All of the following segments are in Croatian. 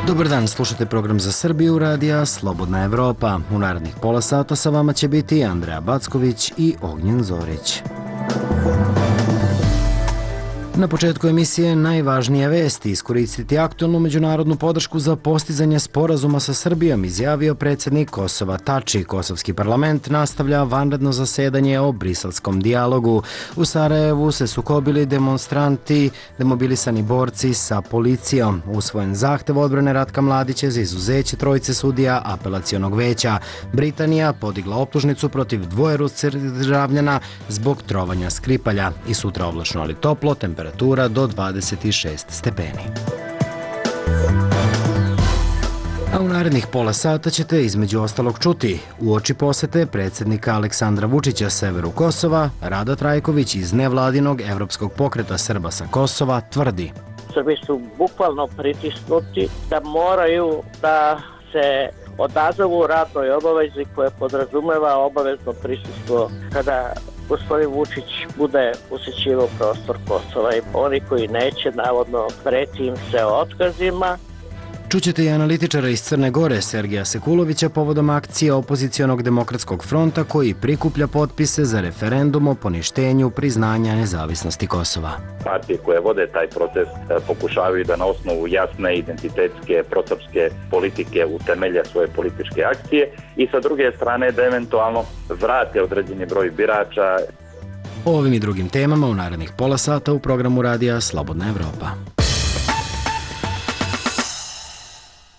Dobar dan, slušate program za Srbiju radija Slobodna Evropa. U narednih pola sata sa vama će biti Andreja Backović i Ognjen Zorić. Na početku emisije najvažnije vesti: iskoristiti aktualnu međunarodnu podršku za postizanje sporazuma sa Srbijom, izjavio predsjednik Kosova Tači. Kosovski parlament nastavlja vanredno zasedanje o briselskom dijalogu. U Sarajevu se sukobili demonstranti, demobilisani borci sa policijom. Usvojen zahtev odbrane Ratka Mladića za izuzeće trojice sudija apelacionog veća. Britanija podigla optužnicu protiv dvoje ruskih državljana zbog trovanja Skripalja. I sutra oblačno ali toplo, temperatura do 26 stepeni. A u narednih pola sata ćete između ostalog čuti: uoči posete predsjednika Aleksandra Vučića severu Kosova, Rada Trajković iz nevladinog Evropskog pokreta Srba sa Kosova tvrdi: Srbi su bukvalno pritisnuti da moraju da se odazovu radnoj obavezi koja podrazumeva obavezno prisustvo kada gospodin Vučić bude posjećivao prostor Kosova, i oni koji neće, navodno, preti im se otkazima. Čućete i analitičara iz Crne Gore, Sergeja Sekulovića, povodom akcije opozicionog demokratskog fronta koji prikuplja potpise za referendum o poništenju priznanja nezavisnosti Kosova. Partije koje vode taj proces pokušavaju da na osnovu jasne identitetske prosrpske politike utemelje svoje političke akcije i sa druge strane da eventualno vrate određeni broj birača. O ovim i drugim temama u narednih pola sata u programu radija Slobodna Evropa.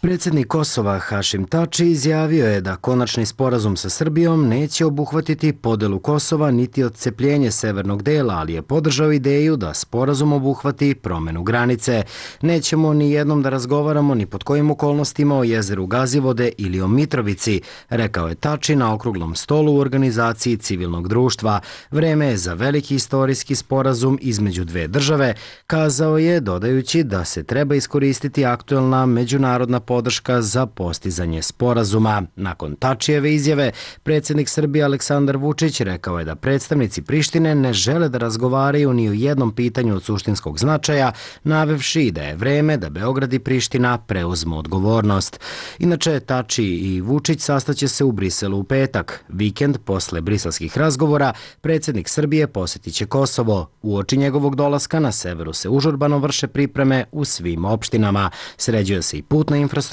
Predsjednik Kosova Hašim Tači izjavio je da konačni sporazum sa Srbijom neće obuhvatiti podelu Kosova niti odcepljenje severnog dela, ali je podržao ideju da sporazum obuhvati promenu granice. Nećemo ni jednom da razgovaramo ni pod kojim okolnostima o jezeru Gazivode ili o Mitrovici, rekao je Tači na okruglom stolu u organizaciji civilnog društva. Vreme je za veliki istorijski sporazum između dve države, kazao je, dodajući da se treba iskoristiti aktuelna međunarodna podrška za postizanje sporazuma. Nakon Tačijeve izjave, predsjednik Srbije Aleksandar Vučić rekao je da predstavnici Prištine ne žele da razgovaraju ni o jednom pitanju od suštinskog značaja, navevši da je vreme da Beograd i Priština preuzmu odgovornost. Inače, Tači i Vučić sastaće se u Briselu u petak. Vikend posle briselskih razgovora, predsjednik Srbije posjetit će Kosovo. Uoči njegovog dolaska na severu se užurbano vrše pripreme u svim opštinama. Sređuje se i putna infrastruktura,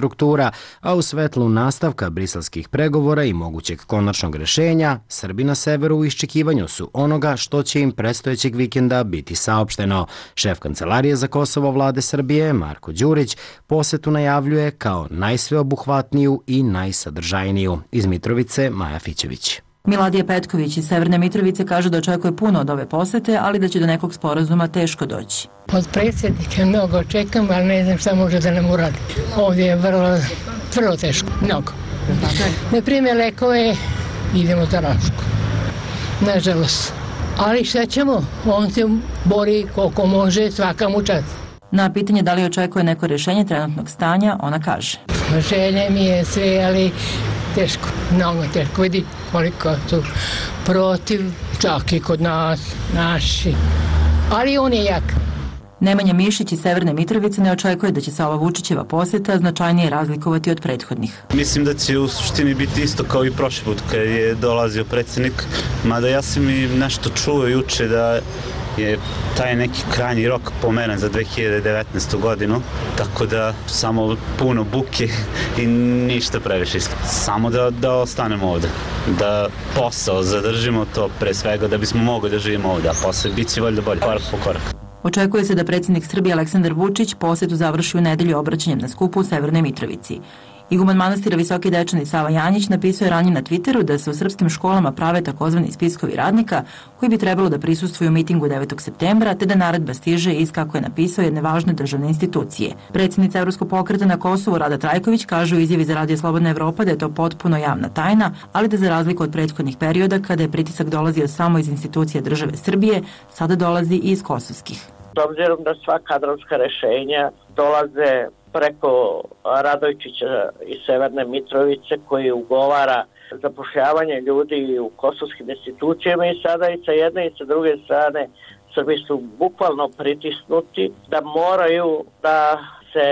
a u svetlu nastavka briselskih pregovora i mogućeg konačnog rešenja, Srbi na severu u iščekivanju su onoga što će im predstojećeg vikenda biti saopšteno. Šef Kancelarije za Kosovo vlade Srbije, Marko Đurić, posetu najavljuje kao najsveobuhvatniju i najsadržajniju. Iz Mitrovice, Maja Fićević. Miladije Petković iz Severne Mitrovice kaže da očekuje puno od ove posete, ali da će do nekog sporazuma teško doći. Od predsjednika mnogo očekam, ali ne znam šta može da nam uradi. Ovdje je vrlo teško, mnogo. Ne prime lekove, idemo za Rašku. Nažalost. Ali šta ćemo? On se bori koliko može, svaka mu čast. Na pitanje da li očekuje neko rješenje trenutnog stanja, ona kaže: Želje mi je sve, ali teško, mnogo teško. Vidi koliko su protiv, čak i kod nas, naši. Ali on je jak. Nemanja Mišić iz Severne Mitrovice ne očekuje da će se ova Vučićeva posjeta značajnije razlikovati od prethodnih. Mislim da će u suštini biti isto kao i prošli put kad je dolazio predsjednik, mada ja sam i nešto čuo juče da je taj neki krajnji rok pomeren za 2019. godinu, tako da samo puno buke i ništa previše. Samo da ostanemo ovdje, da posao zadržimo, to pre svega da bismo mogli da živimo ovdje, a posle bit će valjda bolje, korak po korak. Očekuje se da predsjednik Srbije Aleksandar Vučić posjetu završi u nedelju obraćanjem na skupu u Severnoj Mitrovici. Iguman manastira Visoki Dečani Sava Janjić napisao je ranije na Twitteru da se u srpskim školama prave takozvani spiskovi radnika koji bi trebalo da prisustvuju mitingu 9. septembra, te da naredba stiže iz, kako je napisao, jedne važne državne institucije. Predsjednica Evropskog pokreta na Kosovu Rada Trajković kaže u izjavi za Radio Slobodna Evropa da je to potpuno javna tajna, ali da za razliku od prethodnih perioda kada je pritisak dolazio samo iz institucija države Srbije, sada dolazi i iz kosovskih. S obzirom da sva kadrovska rešenja dolaze preko Radojčića iz Severne Mitrovice koji ugovara zapošljavanje ljudi u kosovskim institucijama, i sada i sa jedne i sa druge strane Srbi su bukvalno pritisnuti da moraju da se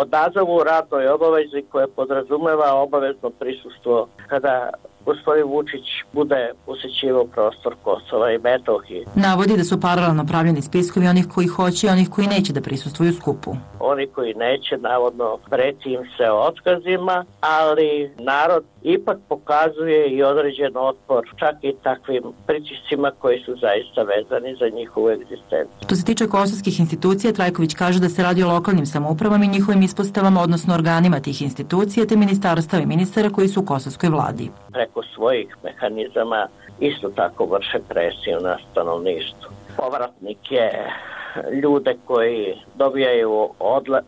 odazovu radnoj obavezi koja podrazumeva obavezno prisustvo kada gospodin Vučić bude posećivao prostor Kosova i Metohije. Navodi da su paralelno pravljeni spiskovi onih koji hoće i onih koji neće da prisustvuju skupu. Oni koji neće, navodno, preti im se otkazima, ali narod ipak pokazuje i određen otpor čak i takvim pritiscima koji su zaista vezani za njihovu egzistenciju. Što se tiče kosovskih institucija, Trajković kaže da se radi o lokalnim samoupravama i njihovim ispostavama, odnosno organima tih institucija, te ministarstava i ministara koji su u kosovskoj vladi. Preko svojih mehanizama isto tako vrše presiju na stanovništvo. Povratnike, ljude koji dobijaju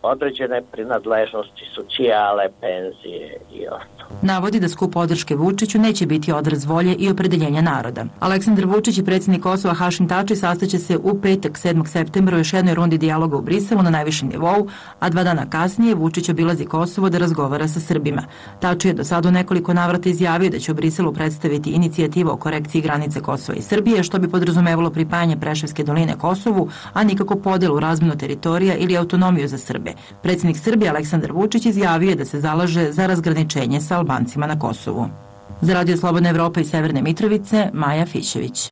određene prinadležnosti, socijale, penzije i ostalo. Navodi da skup podrške Vučiću neće biti odraz volje i opredeljenja naroda. Aleksandar Vučić i predsjednik Kosova Hašim Tači sastaće se u petak 7. septembra u još jednoj rundi dijaloga u Briselu na najvišem nivou, a 2 dana kasnije Vučić obilazi Kosovo da razgovara sa Srbima. Tači je do sada u nekoliko navrata izjavio da će u Briselu predstaviti inicijativu o korekciji granice Kosova i Srbije, što bi podrazumevalo pripajanje Preševske doline Kosovu, a nikako podelu, razmenu teritorija ili autonomiju za Srbe. Predsjednik Srbije Aleksandar Vučić izjavio je da se zalaže za razgraničenje sa Albancima na Kosovu. Za Radio Slobodna Evropa iz Severne Mitrovice, Maja Fišević.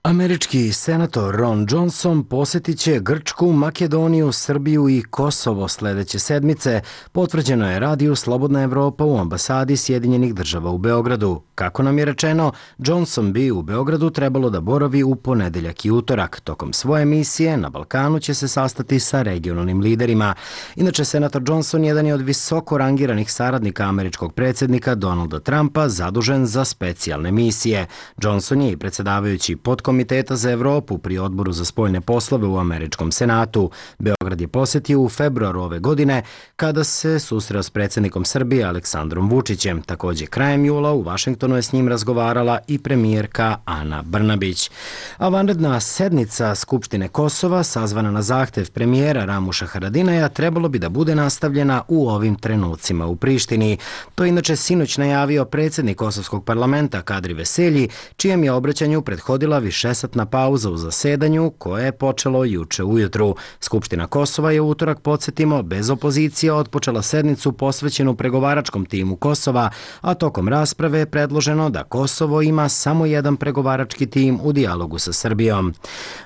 Američki senator Ron Johnson posjetit će Grčku, Makedoniju, Srbiju i Kosovo sledeće sedmice, potvrđeno je Radio Slobodna Evropa u ambasadi Sjedinjenih država u Beogradu. Kako nam je rečeno, Johnson bi u Beogradu trebalo da boravi u ponedeljak i utorak. Tokom svoje misije na Balkanu će se sastati sa regionalnim liderima. Inače, senator Johnson jedan je od visoko rangiranih saradnika američkog predsjednika Donalda Trumpa zadužen za specijalne misije. Johnson je i predsjedavajući Podkomiteta za Evropu pri Odboru za spoljne poslove u američkom senatu. Beograd je posjetio u februaru ove godine kada se susreo s predsjednikom Srbije Aleksandrom Vučićem. Također krajem jula u Vašingtonu je s njim razgovarala i premijerka Ana Brnabić. A vanredna sednica Skupštine Kosova, sazvana na zahtev premijera Ramuša Haradinaja, trebalo bi da bude nastavljena u ovim trenucima u Prištini. To inače sinoć najavio predsjednik Kosovskog parlamenta Kadri Veselji, čijem je obraćanju prethodila višesatna pauza u zasedanju koje je počelo juče ujutru. Skupština Kosova je u utorak, podsjetimo, bez opozicije otpočela sednicu posvećenu pregovaračkom timu Kosova, a tokom rasprave je predloženo da Kosovo ima samo jedan pregovarački tim u dijalogu sa Srbijom.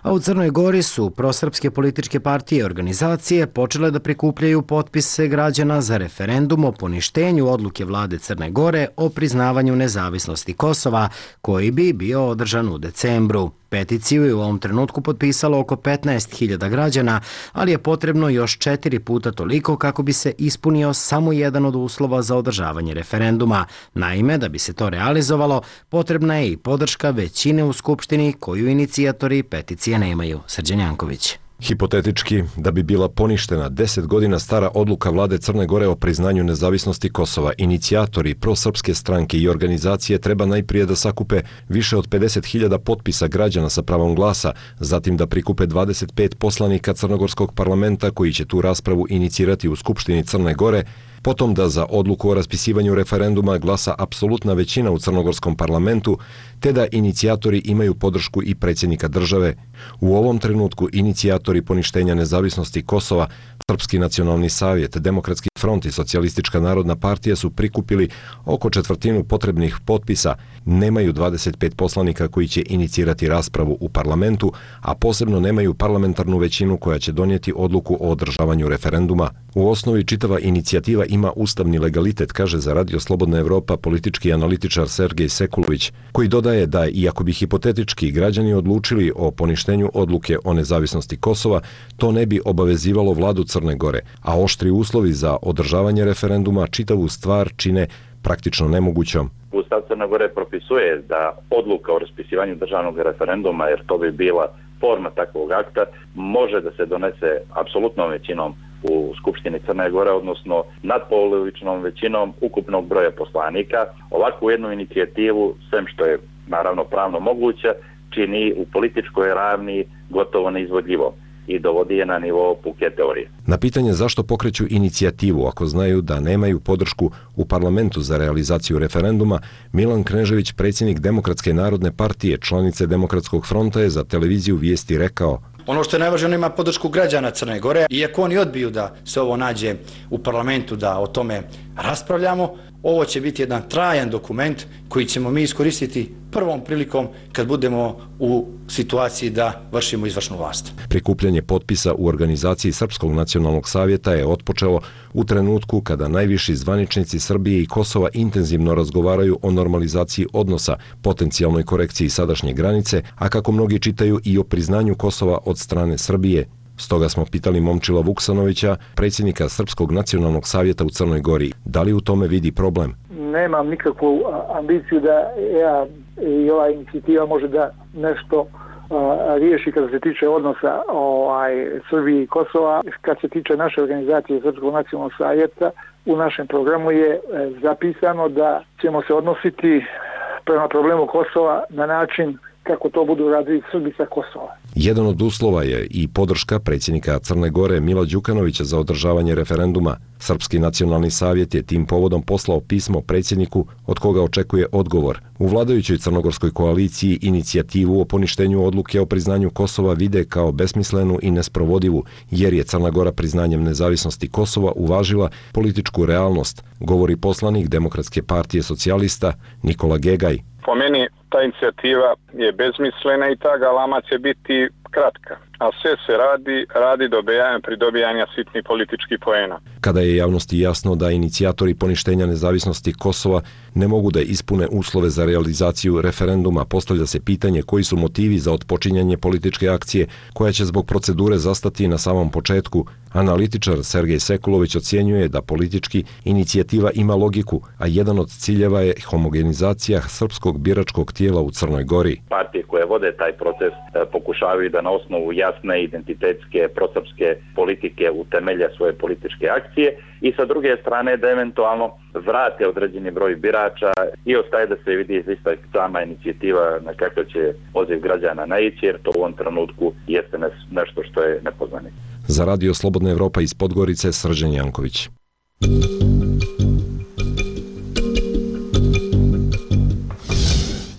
A u Crnoj Gori su prosrpske političke partije i organizacije počele da prikupljaju potpise građana za referendum o poništenju odluke vlade Crne Gore o priznavanju nezavisnosti Kosova, koji bi bio održan u decembru. Peticiju je u ovom trenutku potpisalo oko 15.000 građana, ali je potrebno još 4 puta toliko kako bi se ispunio samo jedan od uslova za održavanje referenduma. Naime, da bi se to realizovalo, potrebna je i podrška većine u Skupštini koju inicijatori peticije nemaju. Srđan Janković. Hipotetički, da bi bila poništena 10 godina stara odluka vlade Crne Gore o priznanju nezavisnosti Kosova, inicijatori prosrpske stranke i organizacije treba najprije da sakupe više od 50.000 potpisa građana sa pravom glasa, zatim da prikupe 25 poslanika Crnogorskog parlamenta koji će tu raspravu inicirati u Skupštini Crne Gore, potom da za odluku o raspisivanju referenduma glasa apsolutna većina u Crnogorskom parlamentu, te da inicijatori imaju podršku i predsjednika države. U ovom trenutku inicijatori poništenja nezavisnosti Kosova, Srpski nacionalni savjet, Demokratski front i Socijalistička narodna partija su prikupili oko četvrtinu potrebnih potpisa, nemaju 25 poslanika koji će inicirati raspravu u parlamentu, a posebno nemaju parlamentarnu većinu koja će donijeti odluku o održavanju referenduma. U osnovi čitava inicijativa ima ustavni legalitet, kaže za Radio Slobodna Evropa politički analitičar Sergej Sekulović, koji dodaje da iako bi hipotetički građani odlučili o poništenju odluke o nezavisnosti Kosova, to ne bi obavezivalo vladu Crne Gore, a oštri uslovi za održavanje referenduma čitavu stvar čine praktično nemogućom. Ustav Crne Gore propisuje da odluka o raspisivanju državnog referenduma, jer to bi bila forma takvog akta, može da se donese apsolutnom većinom u Skupštini Crne Gore, odnosno nadpolovičnom većinom ukupnog broja poslanika. Ovakvu jednu inicijativu, sem što je naravno pravno moguće, čini u političkoj ravni gotovo neizvodljivo i dovodi je na nivo puke teorije. Na pitanje zašto pokreću inicijativu ako znaju da nemaju podršku u parlamentu za realizaciju referenduma, Milan Knežević, predsjednik Demokratske narodne partije, članice Demokratskog fronta, je za televiziju Vijesti rekao: Ono što je najvažnije, on ima podršku građana Crne Gore. Iako oni odbiju da se ovo nađe u parlamentu, da o tome raspravljamo, ovo će biti jedan trajan dokument koji ćemo mi iskoristiti prvom prilikom kad budemo u situaciji da vršimo izvršnu vlast. Prikupljanje potpisa u organizaciji Srpskog nacionalnog savjeta je otpočelo u trenutku kada najviši zvaničnici Srbije i Kosova intenzivno razgovaraju o normalizaciji odnosa, potencijalnoj korekciji sadašnje granice, a kako mnogi čitaju i o priznanju Kosova od strane Srbije. Stoga smo pitali Momčila Vuksanovića, predsjednika Srpskog nacionalnog savjeta u Crnoj Gori, da li u tome vidi problem? Nemam nikakvu ambiciju da ja i ova inicijativa može da nešto riješi kada se tiče odnosa Srbije i Kosova. Kad se tiče naše organizacije Srpskog nacionalnog savjeta, u našem programu je zapisano da ćemo se odnositi prema problemu Kosova na način kako to budu radili Srbi sa Kosova. Jedan od uslova je i podrška predsjednika Crne Gore Mila Đukanovića za održavanje referenduma. Srpski nacionalni savjet je tim povodom poslao pismo predsjedniku od koga očekuje odgovor. U vladajućoj crnogorskoj koaliciji inicijativu o poništenju odluke o priznanju Kosova vide kao besmislenu i nesprovodivu, jer je Crna Gora priznanjem nezavisnosti Kosova uvažila političku realnost, govori poslanik Demokratske partije socijalista Nikola Gegaj. Po meni ta inicijativa je bezmislena i ta galama će biti kratka, a sve se radi pridobijanja sitnih političkih poena. Kada je javnosti jasno da inicijatori poništenja nezavisnosti Kosova ne mogu da ispune uslove za realizaciju referenduma, postavlja se pitanje koji su motivi za otpočinjanje političke akcije koja će zbog procedure zastati na samom početku. Analitičar Sergej Sekulović ocjenjuje da politički inicijativa ima logiku, a jedan od ciljeva je homogenizacija srpskog biračkog tijela u Crnoj Gori. Partije koje vode taj proces pokušavaju da na osnovu jasne identitetske prosrpske politike utemelje svoje političke akcije i sa druge strane da eventualno vrate određeni broj birača i ostaje da se vidi izista sama inicijativa na kakav će poziv građana naići, jer to u ovom trenutku jeste nešto što je nepoznanica. Za Radio Slobodna Evropa iz Podgorice, Srđan Janković.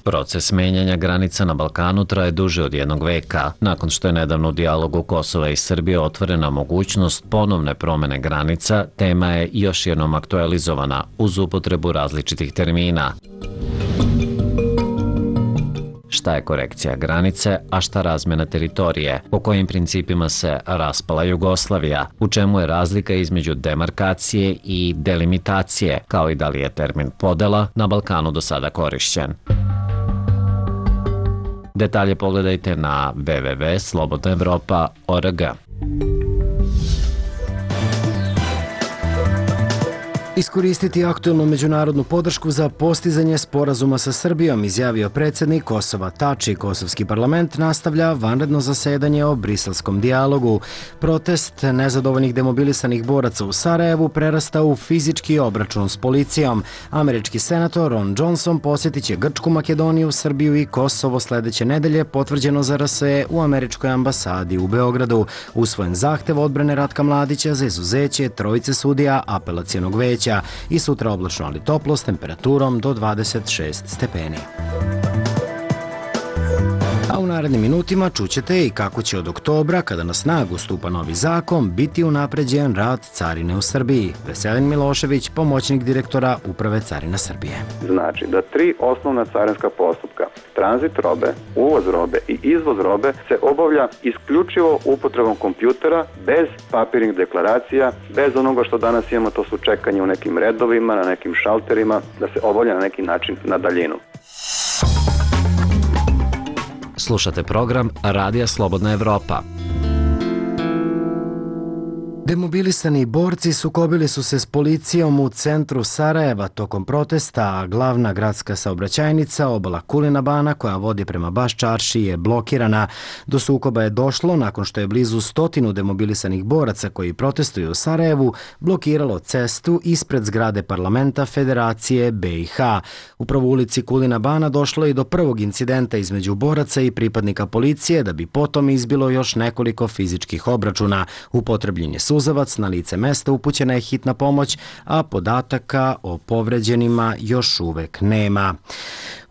Proces menjanja granica na Balkanu traje duže od jednog veka. Nakon što je nedavno u dijalogu Kosova i Srbije otvorena mogućnost ponovne promene granica, tema je još jednom aktualizovana uz upotrebu različitih termina. Šta je korekcija granice, a šta razmjena teritorije, po kojim principima se raspala Jugoslavija, u čemu je razlika između demarkacije i delimitacije, kao i da li je termin podela na Balkanu do sada korišćen. Detalje pogledajte na www.slobodnaevropa.org. Iskoristiti aktuelnu međunarodnu podršku za postizanje sporazuma sa Srbijom, izjavio predsjednik Kosova Tači. Kosovski parlament nastavlja vanredno zasedanje o briselskom dijalogu. Protest nezadovoljnih demobilisanih boraca u Sarajevu prerasta u fizički obračun s policijom. Američki senator Ron Johnson posjetit će Grčku, Makedoniju, Srbiju i Kosovo sljedeće nedelje, potvrđeno za RSE u američkoj ambasadi u Beogradu. Usvojen zahtev odbrane Ratka Mladića za izuzeće trojice sudija apelacionog veća. I sutra oblačno, ali toplo s temperaturom do 26 stepeni. A u narednim minutima čućete i kako će od oktobra, kada na snagu stupa novi zakon, biti unapređen rad carine u Srbiji. Veselin Milošević, pomoćnik direktora Uprave Carina Srbije. Znači da 3 osnovna carinska postupka, tranzit robe, uvoz robe i izvoz robe, se obavlja isključivo upotrebom kompjutera, bez papirnih deklaracija, bez onoga što danas imamo, to su čekanje u nekim redovima, na nekim šalterima, da se obavlja na neki način na daljinu. Slušate program Radija Slobodna Evropa. Demobilisani borci sukobili su se s policijom u centru Sarajeva tokom protesta, a glavna gradska saobraćajnica obala Kulina Bana koja vodi prema Baš Čarši je blokirana. Do sukoba je došlo nakon što je blizu 100 demobilisanih boraca koji protestuju u Sarajevu blokiralo cestu ispred zgrade parlamenta Federacije BiH. Upravo u ulici Kulina Bana došlo je i do prvog incidenta između boraca i pripadnika policije, da bi potom izbilo još nekoliko fizičkih obračuna. Upotrebljen je suzavac, na lice mesta upućena je hitna pomoć, a podataka o povređenima još uvek nema.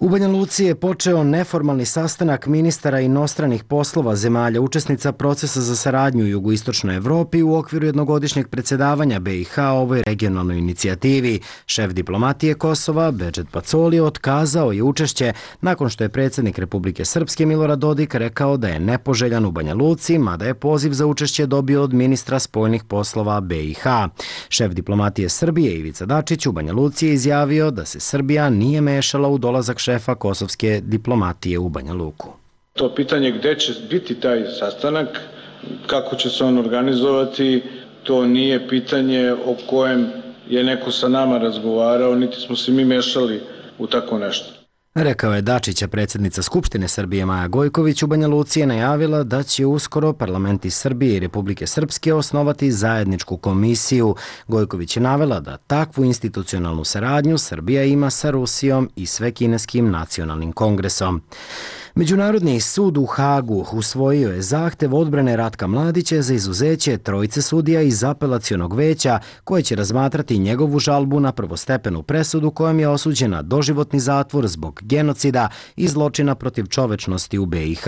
U Banja Luci je počeo neformalni sastanak ministara inostranih poslova zemalja učesnica procesa za saradnju u jugoistočnoj Evropi u okviru jednogodišnjeg predsjedavanja BiH ovoj regionalnoj inicijativi. Šef diplomatije Kosova, Bedžet Pacoli, otkazao je učešće nakon što je predsjednik Republike Srpske Milorad Dodik rekao da je nepoželjan u Banja Luci, mada je poziv za učešće dobio od ministra spoljnih poslova BiH. Šef diplomatije Srbije Ivica Dačić u Banja Luci je izjavio da se Srbija nije mešala u dolazak šefa kosovske diplomatije u Banja Luku. To pitanje gde će biti taj sastanak, kako će se on organizovati, to nije pitanje o kojem je neko sa nama razgovarao, niti smo se mi mešali u tako nešto. Rekao je Dačića. Predsjednica Skupštine Srbije Maja Gojković u Banja Luci je najavila da će uskoro parlamenti Srbije i Republike Srpske osnovati zajedničku komisiju. Gojković je navela da takvu institucionalnu saradnju Srbija ima sa Rusijom i Svekineskim nacionalnim kongresom. Međunarodni sud u Hagu usvojio je zahtev odbrane Ratka Mladića za izuzeće trojice sudija iz apelacionog veća koje će razmatrati njegovu žalbu na prvostepenu presudu kojom je osuđena doživotni zatvor zbog genocida i zločina protiv čovečnosti u BiH.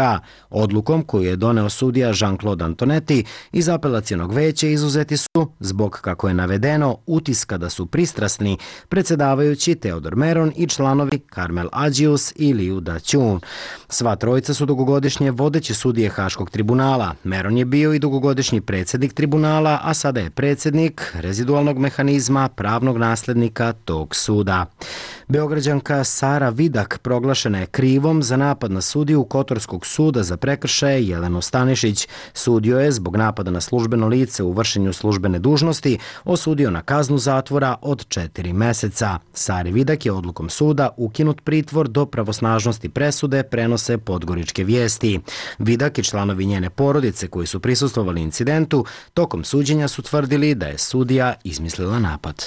Odlukom koju je doneo sudija Jean-Claude Antonetti iz apelacionog veća izuzeti su, zbog kako je navedeno, utiska da su pristrasni, predsjedavajući Teodor Meron i članovi Karmel Adžius i Liu Da-Ćun. Sva trojica su dugogodišnje vodeći sudije Haškog tribunala. Meron je bio i dugogodišnji predsjednik tribunala, a sada je predsjednik rezidualnog mehanizma pravnog naslednika tog suda. Beograđanka Sara Vidak proglašena je krivom za napad na sudiju Kotorskog suda za prekršaje Jelenu Stanišić. Sudio je zbog napada na službeno lice u vršenju službene dužnosti osudio na kaznu zatvora od 4 meseca. Sari Vidak je odlukom suda ukinut pritvor do pravosnažnosti presude, prenose Podgoričke vijesti. Vidak i članovi njene porodice koji su prisustvovali incidentu tokom suđenja su tvrdili da je sudija izmislila napad.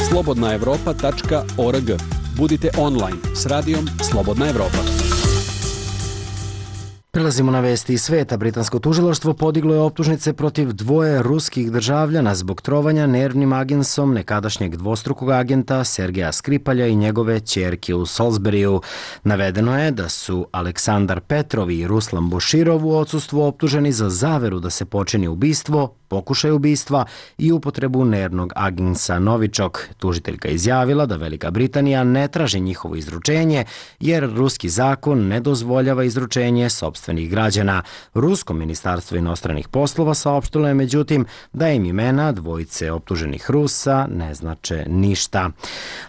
slobodnaevropa.org. Budite online s radijom Slobodna Evropa. Prelazimo na vesti iz sveta. Britansko tužilaštvo podiglo je optužnice protiv dvoje ruskih državljana zbog trovanja nervnim agensom nekadašnjeg dvostrukog agenta Sergeja Skripalja i njegove ćerke u Salisburyu. Navedeno je da su Aleksandar Petrov i Ruslan Boširov u odsustvu optuženi za zaveru da se počini ubistvo, pokušaj ubistva i upotrebu nervnog agensa Novičok. Tužiteljka izjavila da Velika Britanija ne traži njihovo izručenje jer ruski zakon ne dozvoljava izručenje sopstvenih građana. Rusko ministarstvo inostranih poslova saopštilo je međutim da im imena dvojice optuženih Rusa ne znače ništa.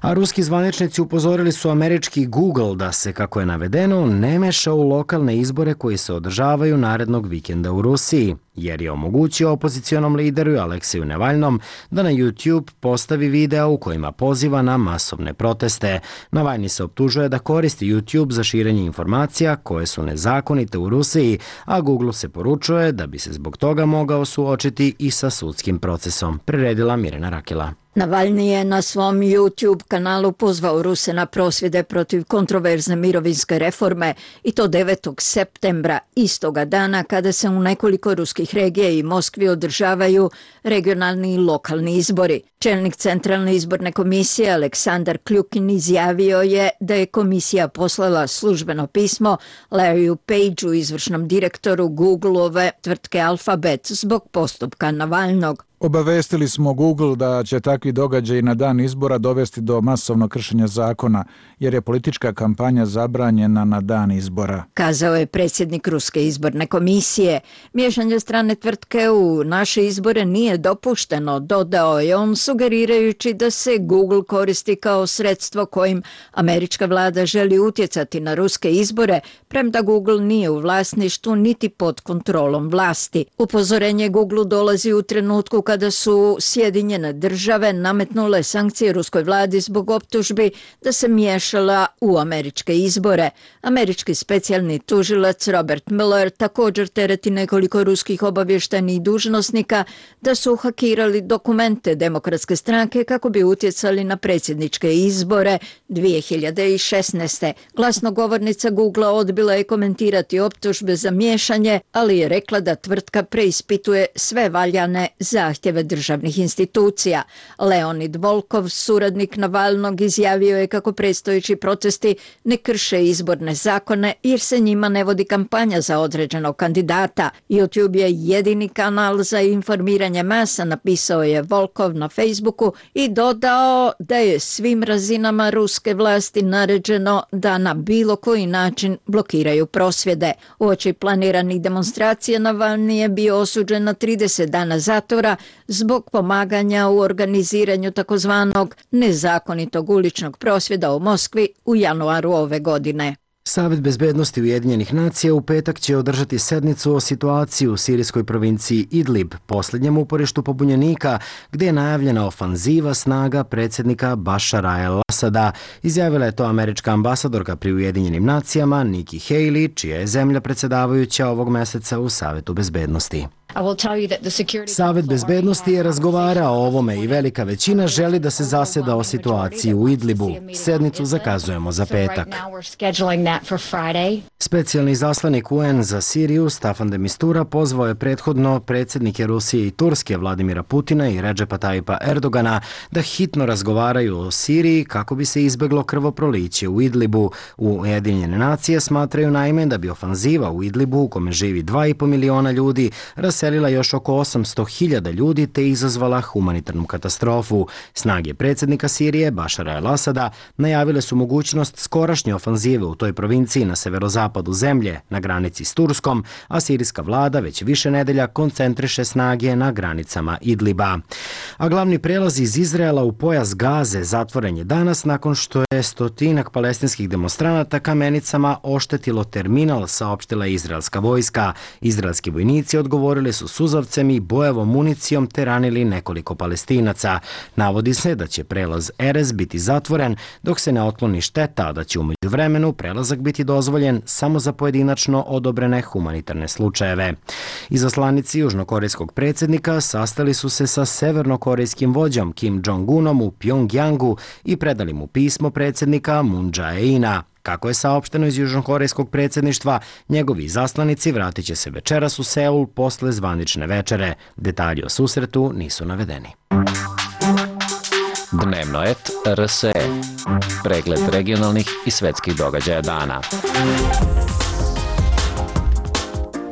A ruski zvaničnici upozorili su američki Google da se, kako je navedeno, ne meša u lokalne izbore koji se održavaju narednog vikenda u Rusiji, jer je omogućio opozicionom lideru Alekseju Navalnom da na YouTube postavi video u kojima poziva na masovne proteste. Navalni se optužuje da koristi YouTube za širenje informacija koje su nezakonite u Rusiji, a Google se poručuje da bi se zbog toga mogao suočiti i sa sudskim procesom. Priredila Mirjana Rakela. Navalni je na svom YouTube kanalu pozvao Ruse na prosvjede protiv kontroverzne mirovinske reforme i to 9. septembra, istoga dana kada se u nekoliko ruskih regija i Moskvi održavaju regionalni i lokalni izbori. Čelnik Centralne izborne komisije Aleksandar Kljukin izjavio je da je komisija poslala službeno pismo Larryu Pageu, izvršnom direktoru Google-ove tvrtke Alphabet, zbog postupka Navalnog. Obavestili smo Google da će takvi događaji na dan izbora dovesti do masovnog kršenja zakona, jer je politička kampanja zabranjena na dan izbora. Kazao je predsjednik Ruske izborne komisije. Miješanje strane tvrtke u naše izbore nije dopušteno, dodao je on, sugerirajući da se Google koristi kao sredstvo kojim američka vlada želi utjecati na ruske izbore, premda Google nije u vlasništvu niti pod kontrolom vlasti. Upozorenje Google dolazi u trenutku kada su Sjedinjene države nametnule sankcije ruskoj vladi zbog optužbi da se miješala u američke izbore. Američki specijalni tužilac Robert Mueller također tereti nekoliko ruskih obavještajnih dužnosnika da su hakirali dokumente Demokratske stranke kako bi utjecali na predsjedničke izbore 2016. Glasnogovornica Google odbila je komentirati optužbe za miješanje, ali je rekla da tvrtka preispituje sve valjane zahtjeve zahtjeve državnih institucija. Leonid Volkov, suradnik Navalnog, izjavio je kako predstojeći protesti ne krše izborne zakone jer se njima ne vodi kampanja za određenog kandidata. YouTube je jedini kanal za informiranje masa, napisao je Volkov na Facebooku i dodao da je svim razinama ruske vlasti naređeno da na bilo koji način blokiraju prosvjede. Uoči planiranih demonstracija Navalni je bio osuđen na 30 dana zatvora zbog pomaganja u organiziranju takozvanog nezakonitog uličnog prosvjeda u Moskvi u januaru ove godine. Savet bezbednosti Ujedinjenih nacija u petak će održati sednicu o situaciji u sirijskoj provinciji Idlib, posljednjem uporištu pobunjenika, gdje je najavljena ofanziva snaga predsjednika Bašara al-Asada. Izjavila je to američka ambasadorka pri Ujedinjenim nacijama Nikki Haley, čija je zemlja predsjedavajuća ovog meseca u Savetu bezbednosti. Savet bezbednosti je razgovarao o ovome i velika većina želi da se zaseda o situaciji u Idlibu. Sednicu zakazujemo za petak. Specijalni izaslanik UN za Siriju Staffan de Mistura pozvao je prethodno predsjednike Rusije i Turske Vladimira Putina i Redžepa Tajipa Erdogana da hitno razgovaraju o Siriji kako bi se izbeglo krvoproliće u Idlibu. Ujedinjene nacije smatraju naime da bi ofanziva u Idlibu, u kome živi 2,5 miliona ljudi, raselila još oko 800.000 ljudi te izazvala humanitarnu katastrofu. Snage predsjednika Sirije Bašara al-Asada najavile su mogućnost skorašnje ofanzive u toj provinciji na severozapadu zemlje, na granici s Turskom, a sirijska vlada već više nedelja koncentriše snage na granicama Idliba. A glavni prelaz iz Izraela u pojas Gaze zatvoren je danas nakon što je stotinak palestinskih demonstranata kamenicama oštetilo terminal, saopštila je izraelska vojska. Izraelski vojnici odgovorili su suzavcem i bojevom municijom te ranili nekoliko Palestinaca. Navodi se da će prelaz Erez biti zatvoren dok se ne otkloni šteta, a da će u međuvremenu prelazak biti dozvoljen samo za pojedinačno odobrene humanitarne slučajeve. Izaslanici južnokorejskog predsjednika sastali su se sa severnokorejskim vođom Kim Jong-unom u Pjongjangu i predali mu pismo predsjednika Moon Jae-ina. Kako je saopšteno iz južnokorejskog predsjedništva, njegovi izaslanici vratit će se večeras u Seul posle zvanične večere. Detalji o susretu nisu navedeni. Dnevnoet RSE. Pregled regionalnih i svetskih događaja dana.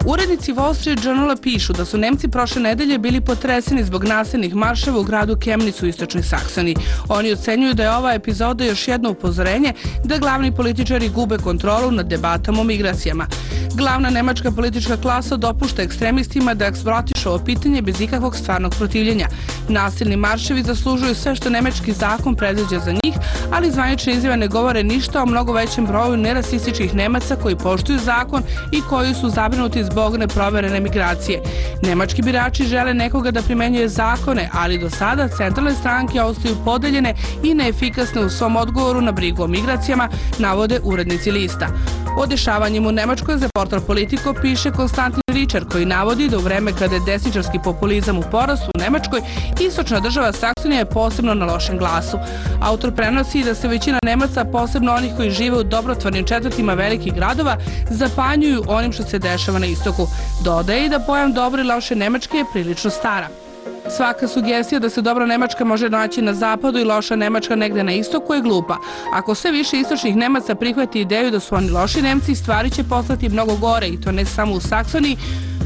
Urednici Wall Street Journala pišu da su Nemci prošle nedelje bili potreseni zbog nasilnih marševa u gradu Chemnitz u istočnoj Saksoniji. Oni ocenjuju da je ova epizoda još jedno upozorenje da glavni političari gube kontrolu nad debatama o migracijama. Glavna nemačka politička klasa dopušta ekstremistima da eksploatišu ovo pitanje bez ikakvog stvarnog protivljenja. Nasilni marševi zaslužuju sve što nemački zakon predviđa za njih, ali zvanične izjave ne govore ništa o mnogo većem broju nerasističkih Nemaca koji poštuju zakon i koji su zabrinuti zbog neproverene migracije. Nemački birači žele nekoga da primenjuje zakone, ali do sada centralne stranke ostaju podeljene i neefikasne u svom odgovoru na brigu o migracijama, navode urednici lista. O dešavanjima u Nemačkoj za portal Politico piše Konstantin Ričar, koji navodi da u vreme kada je desničarski populizam u porastu u Nemačkoj, istočna država Saksonija je posebno na lošem glasu. Autor prenosi da se većina Nemaca, posebno onih koji žive u dobrotvornim četvrtima velikih gradova, zapanjuju onim što se dešava na istoku. Dodaje i da pojam dobre i loše Nemačke je prilično stara. Svaka sugestija da se dobra Nemačka može naći na zapadu i loša Nemačka negde na istoku je glupa. Ako sve više istočnih Nemaca prihvati ideju da su oni loši Nemci, stvari će postati mnogo gore i to ne samo u Saksoniji,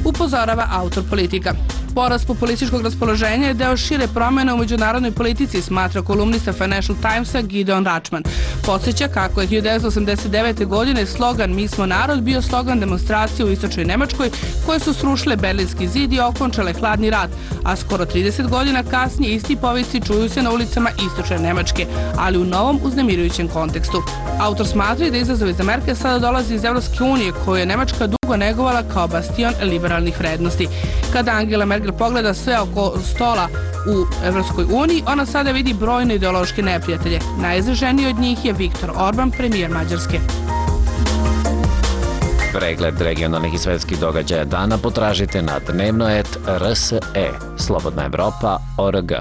upozorava autor Politika. Porast populističkog raspoloženja je deo šire promjene u međunarodnoj politici, smatra kolumnista Financial Timesa Gideon Rachman. Podsjeća kako je 1989. godine slogan Mi smo narod bio slogan demonstracije u istočnoj Nemačkoj koje su srušile Berlinski zid i okončale hladni rat, a skoro 30 godina kasnije isti povici čuju se na ulicama istočne Nemačke, ali u novom uznemirujućem kontekstu. Autor smatra da izazov iz Amerike sada dolazi iz Evropske unije, koju je Nemačka dugo negovala kao bastion liberalnih vrednosti. Kada Angela Merkel pogleda sve oko stola u Evropskoj uniji, ona sada vidi brojne ideološke neprijatelje. Najizraženiji od njih je Viktor Orban, premijer Mađarske. Pregled regionalnih i svetskih događaja dana potražite na dnevnoet.rs.e. Slobodna Evropa.org.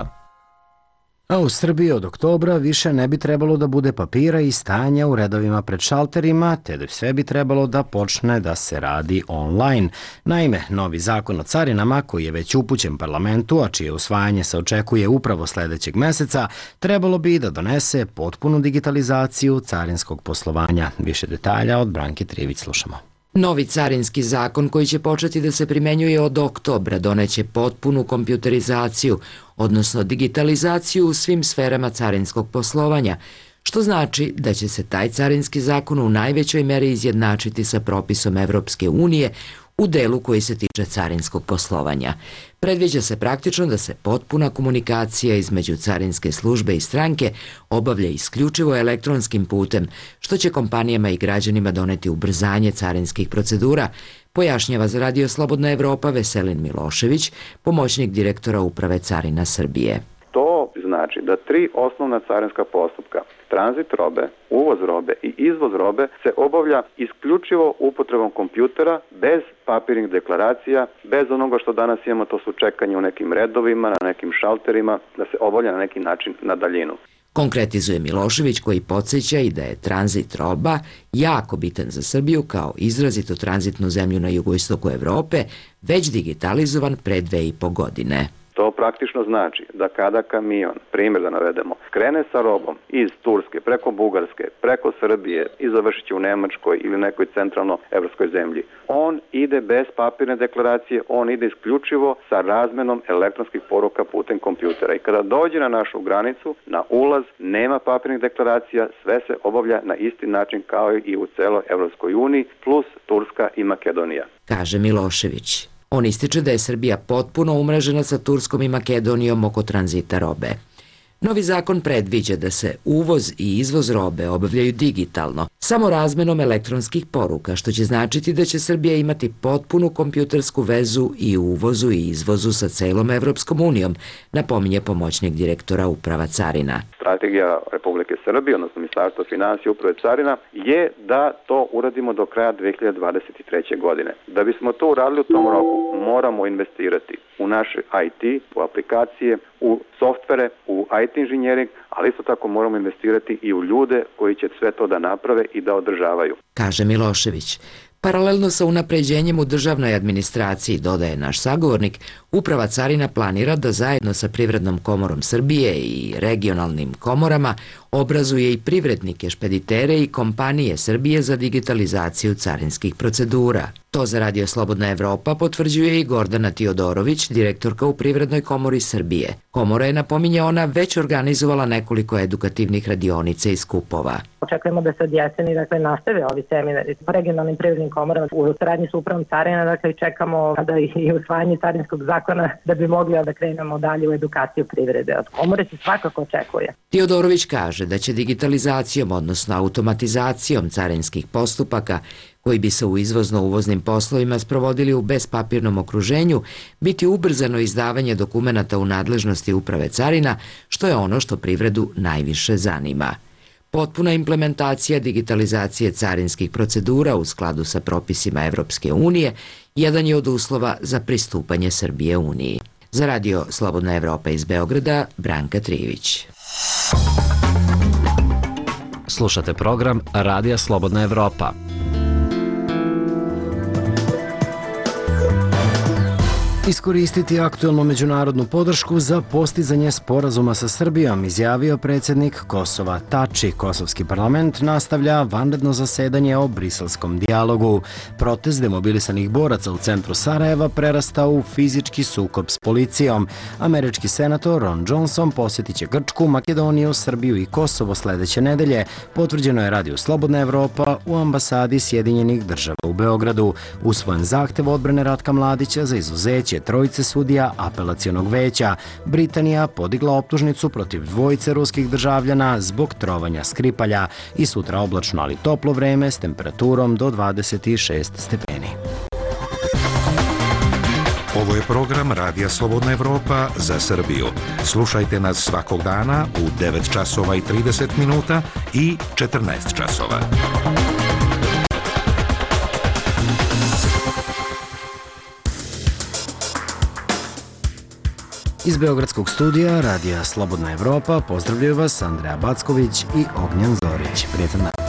A u Srbiji od oktobra više ne bi trebalo da bude papira i stajanja u redovima pred šalterima, te da sve bi trebalo da počne da se radi online. Naime, novi zakon o carinama, koji je već upućen parlamentu, a čije usvajanje se očekuje upravo sledećeg meseca, trebalo bi da donese potpunu digitalizaciju carinskog poslovanja. Više detalja od Branke Trivić slušamo. Novi carinski zakon koji će početi da se primenjuje od oktobra doneće potpunu kompjuterizaciju, odnosno digitalizaciju u svim sferama carinskog poslovanja, što znači da će se taj carinski zakon u najvećoj meri izjednačiti sa propisom Evropske unije u delu koji se tiče carinskog poslovanja. Predviđa se praktično da se potpuna komunikacija između carinske službe i stranke obavlja isključivo elektronskim putem, što će kompanijama i građanima doneti ubrzanje carinskih procedura, pojašnjava za Radio Slobodna Evropa Veselin Milošević, pomoćnik direktora Uprave carina Srbije. To znači da 3 osnovna carinska postupka, tranzit robe, uvoz robe i izvoz robe, se obavlja isključivo upotrebom kompjutera, bez papirnih deklaracija, bez onoga što danas imamo, to su čekanje u nekim redovima, na nekim šalterima, da se obavlja na neki način na daljinu. Konkretizuje Milošević, koji podsjeća i da je tranzit roba jako bitan za Srbiju kao izrazito tranzitnu zemlju na jugoistoku Evrope, već digitalizovan pre 2,5 godine. To praktično znači da kada kamion, primjer da navedemo, krene sa robom iz Turske, preko Bugarske, preko Srbije i završit će u Nemačkoj ili nekoj centralno-evropskoj zemlji, on ide bez papirne deklaracije, on ide isključivo sa razmenom elektronskih poruka putem kompjutera. I kada dođe na našu granicu, na ulaz, nema papirnih deklaracija, sve se obavlja na isti način kao i u celoj Evropskoj uniji, plus Turska i Makedonija. Kaže Milošević. On ističe da je Srbija potpuno umrežena sa Turskom i Makedonijom oko tranzita robe. Novi zakon predviđa da se uvoz i izvoz robe obavljaju digitalno, samo razmenom elektronskih poruka, što će značiti da će Srbija imati potpunu kompjutersku vezu i u uvozu i izvozu sa celom Evropskom unijom, napominje pomoćnik direktora Uprava carina. Strategija Republike Srbije, odnosno Ministarstva finansija i Uprave carina, je da to uradimo do kraja 2023. godine. Da bismo to uradili u tom roku, moramo investirati u naše IT, u aplikacije, u softvere, u IT inženjering, ali isto tako moramo investirati i u ljude koji će sve to da naprave i da održavaju. Kaže Milošević. Paralelno sa unapređenjem u državnoj administraciji, dodaje naš sagovornik, Uprava carina planira da zajedno sa Privrednom komorom Srbije i regionalnim komorama obrazuje i privrednike, špeditere i kompanije Srbije za digitalizaciju carinskih procedura. To za Radio Slobodna Evropa potvrđuje i Gordana Tiodorović, direktorka u Privrednoj komori Srbije. Komora je, napominje ona, već organizovala nekoliko edukativnih radionica i skupova. Očekujemo da se od jeseni nastave ovi seminari po regionalnim privrednim komorama u saradnji sa Upravom carina, i čekamo da i usvajanje carinskog zakona da bi mogli da krenemo dalje u edukaciju privrede. Od komore se svakako očekuje. Tiodorović kaže da će digitalizacijom, odnosno automatizacijom carinskih postupaka, koji bi se u izvozno-uvoznim poslovima sprovodili u bespapirnom okruženju, biti ubrzano izdavanje dokumenata u nadležnosti Uprave carina, što je ono što privredu najviše zanima. Potpuna implementacija digitalizacije carinskih procedura u skladu sa propisima Evropske unije jedan je od uslova za pristupanje Srbije Uniji. Za Radio Slobodna Evropa iz Beograda, Branka Trivić. Slušate program Radija Slobodna Evropa. Iskoristiti aktuelnu međunarodnu podršku za postizanje sporazuma sa Srbijom, izjavio predsjednik Kosova Tači. Kosovski parlament nastavlja vanredno zasedanje o briselskom dijalogu. Protest demobilisanih boraca u centru Sarajeva prerastao u fizički sukob s policijom. Američki senator Ron Johnson posjetit će Grčku, Makedoniju, Srbiju i Kosovo sledeće nedelje, potvrđeno je Radio Slobodna Evropa u ambasadi Sjedinjenih država u Beogradu. Usvojen zahtev odbrane Ratka Mladića za izuzeće trojice sudija apelacionog veća. Britanija podigla optužnicu protiv dvojice ruskih državljana zbog trovanja Skripalja i sutra oblačno ali toplo vreme s temperaturom do 26 stepeni. Ovo je program Radija Slobodna Evropa za Srbiju. Slušajte nas svakog dana u 9 časova i 30 minuta i 14 časova. Iz Beogradskog studija Radija Slobodna Evropa pozdravljaju vas Andreja Backović i Ognjan Zorić. Prijetan dan.